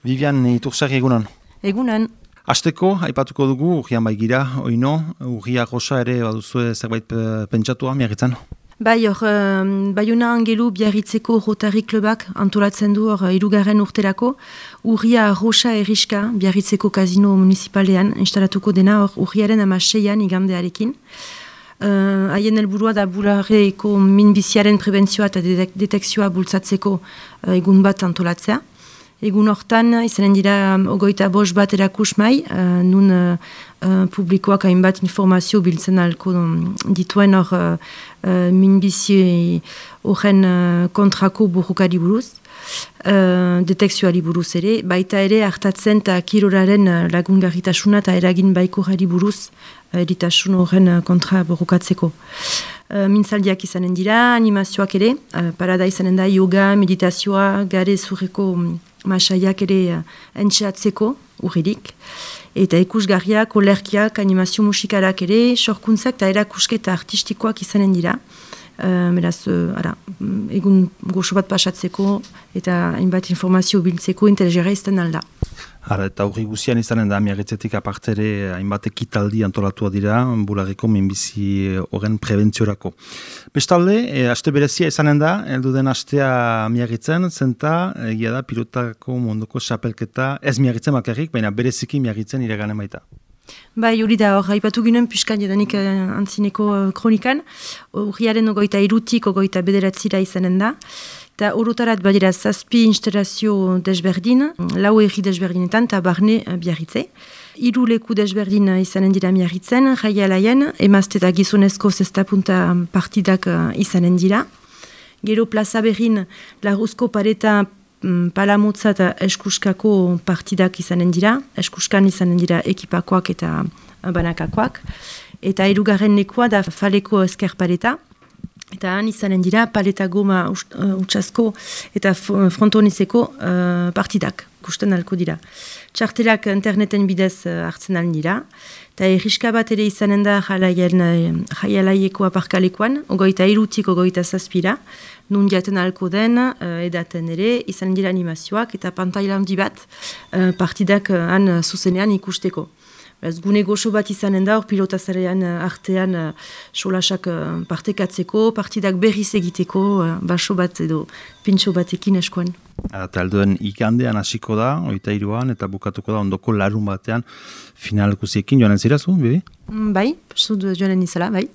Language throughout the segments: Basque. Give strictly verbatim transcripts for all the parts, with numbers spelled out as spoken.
Vivian Itursarri egunan. Egunan. Asteko, aipatuko dugu, urrian baigira, oino, urria goza ere baduzue zerbait pentsatua, miagitzen? Bai, hor, Baiona Angelu Biarritzeko Rotary Klubak antolatzen du hor hirugarren urterako, urria rosa erriska Biarritzeko Kasino Municipalean instalatuko dena hor urriaren amaseian igandearekin. Haien uh, helburua da bularreko minbiziaren prebentzioa eta detekzioa bultzatzeko uh, egun bat antolatzea. Egun hortan, izanen dira ogoita bost bat erakusmai, uh, nun uh, uh, publikoak hainbat informazio biltzen alko dituen hor uh, uh, minbizi horren uh, kontrako burrukari buruz, uh, detekzioari buruz ere, baita ere hartatzen eta kirolaren uh, lagungarritasuna eta eragin baikorari buruz uh, eritasun horren uh, kontra burrukatzeko. Uh, mintzaldiak izanen dira, animazioak ere, uh, parada izanen da yoga, meditazioa, gare zurreko um, masaiak ere uh, entxeatzeko urririk, eta ikusgarriak, olerkiak, animazio musikarak ere, sorkuntzak eta erakusketa artistikoak izanen dira. Uh, beraz, uh, ara, egun goxo bat pasatzeko eta hainbat informazio biltzeko interesgarria izten alda. Ara, eta hurri guzian izanen da, miagitzetik apartere hainbat ekitaldi antolatua dira, bularreko minbizi horren prebentziorako. Bestalde, e, aste berezia izanen da, heldu den astea miagitzen, zenta, egia da, pilotako munduko xapelketa, ez miagitzen bakarrik, baina bereziki miagitzen iraganen baita. Bai, hori da, hor, haipatu ginen piskan jadanik uh, antzineko uh, kronikan, urriaren ogoita irutik, ogoita bederatzira izanen da, eta orotarat badira zazpi instalazio desberdin, lau erri desberdinetan, eta barne uh, Biarritze. Hiru leku desberdin uh, izanen dira Biarritzen, jaialaien, emazte eta gizonezko zestapunta partidak uh, izanen dira. Gero plaza berrin, larruzko pareta palamotza eta eskuskako partidak izanen dira, eskuskan izanen dira ekipakoak eta banakakoak, eta hirugarren lekua da faleko esker paleta, eta han izanen dira paleta goma utsasko eta frontonizeko uh, partidak, ikusten alko dira. Txartelak interneten bidez uh, hartzen alin dira, eta erriska bat ere izanen da jaialaieko aparkalekoan, ogoita irutik ogoita zazpira, nun jaten alko den, uh, edaten ere, izan dira animazioak eta pantaila handi bat uh, partidak uh, han uh, zuzenean ikusteko. Beraz, gune goxo bat izanen da, hor pilotazarean uh, artean uh, solasak uh, partekatzeko, partidak berriz egiteko, uh, baso bat edo pintxo batekin eskoan. Eta alduen ikandean hasiko da, oita iruan, eta bukatuko da ondoko larun batean finalkusiekin joanen zirazu, bibi? Mm, bai, zut joanen izala, bai.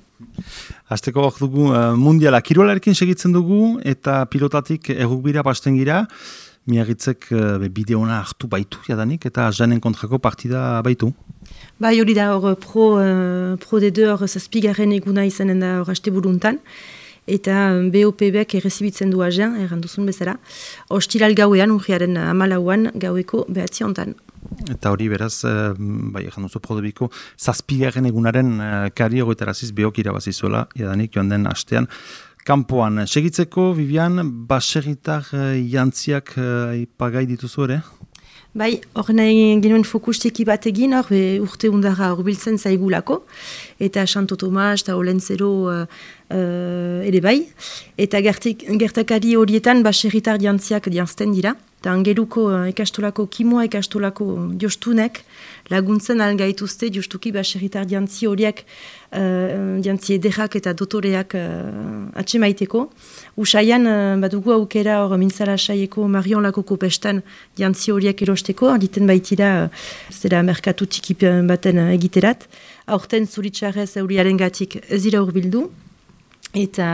Azteko hor dugu uh, mundiala kirolarekin segitzen dugu eta pilotatik errukbira pasten gira, miagitzek uh, bideona hartu baitu jadanik eta janen kontrako partida baitu. Bai, hori da hor pro, uh, pro de deux hor zazpigarren eguna izanen da hor haste buruntan, eta B O P B-ek errezibitzen du agen, erranduzun bezala, ostiral gauean, urriaren amalauan gaueko behatzi hontan. Eta hori beraz, bai, egin duzu prodebiko, zazpigarren egunaren kari hogeitaraziz behok irabazizuela, jadanik joan den hastean. Kampoan, segitzeko, Vivian, baserritar jantziak ipagai dituzu ere? Bai, hor nahi genuen fokusteki bat egin, hor urte undara horbiltzen zaigulako, eta Santo Tomas eta Olentzero uh, uh, ere bai, eta gertik, gertakari horietan baserritar jantziak jantzten dira, eta angeluko uh, ekastolako kimoa ekastolako jostunek laguntzen algaituzte justuki baserritar jantzi horiek uh, jantzi ederrak eta dotoreak uh, atxemaiteko. Usaian uh, badugu aukera hor mintzala saieko Marion Lakoko pestan jantzi horiek erosteko, arditen baitira uh, zera merkatu txiki baten uh, egiterat. Aurten zuritxarrez euriaren gatik ez dira urbildu. Eta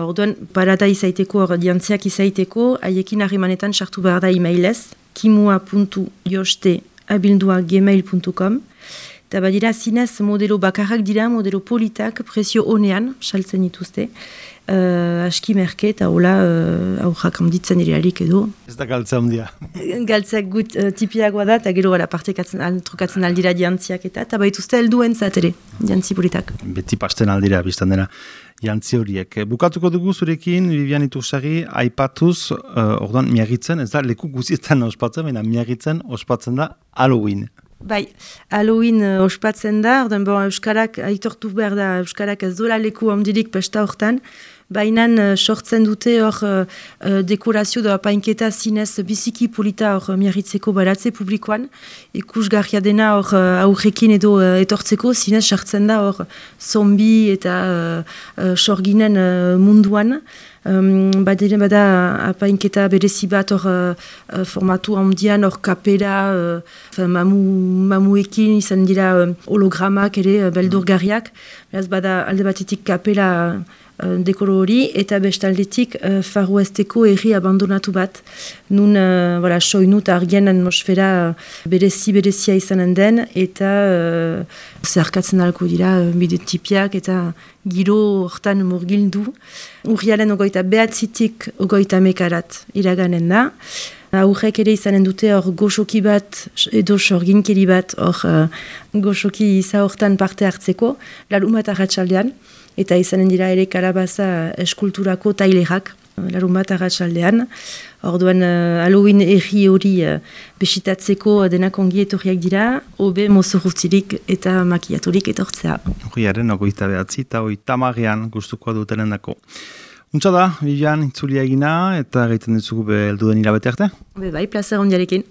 orduan parada izaiteko, hor jantziak izaiteko, haiekin harremanetan sartu behar da emailez, kimua puntu joste abildua gmail puntu com, eta badira zinez modelo bakarrak dira, modelo politak, prezio honean, saltzen dituzte, uh, aski merke, eta hola uh, aurrak handitzen irialik edo. Ez da galtza handia. Galtzak gut uh, tipiagoa da, eta gero gara partekatzen trukatzen aldira jantziak eta, eta baituzte helduen zatere, jantzi politak. Beti pasten aldira, biztan dena. Jantzi horiek. Bukatuko dugu zurekin, Vivian Itursarri, aipatuz, uh, orduan miagitzen, ez da, leku guzietan ospatzen, baina miagitzen ospatzen da Halloween. Bai, Halloween uh, ospatzen da, orduan bon, Euskarak, aitortu behar da, Euskarak ez dola leku handirik pesta hortan, bainan uh, sortzen dute hor uh, uh, dekorazio da apainketa zinez biziki polita hor uh, miarritzeko baratze publikoan, ikusgarria dena hor uh, aurrekin edo uh, etortzeko zinez sartzen da hor zombi eta uh, uh, sorginen uh, munduan. Um, badere bada apainketa berezi bat hor uh, formatu handian hor kapera uh, mamu, mamuekin izan dira uh, hologramak ere uh, beldurgarriak. Beraz bada alde batetik kapela uh, dekoro hori eta bestaldetik uh, Far Westeko herri abandonatu bat. Nun uh, voilà, soinu eta argien atmosfera uh, berezi berezia izanen den eta uh, zerkatzen alko dira uh, bidetipiak eta giro hortan murgildu. Urriaren ogoita behatzitik ogoita mekarat iraganen da. Aurrek ere izanen dute hor goxoki bat edo sorginkeri bat hor uh, goxoki iza hortan parte hartzeko, larumat arratsaldean, eta izanen dira ere kalabaza eskulturako tailerak, larumat arratsaldean. Orduan uh, Halloween erri hori uh, besitatzeko denak ongi etorriak dira, hobe mozorrutzirik eta makiaturik etortzea. Urriaren ogoita behatzi eta oita marian gustukoa dutenen dako. Untsa da, Vivian, itzulia egina eta egiten dutzugu belduden hilabete arte? Be bai, plazer ondiarekin.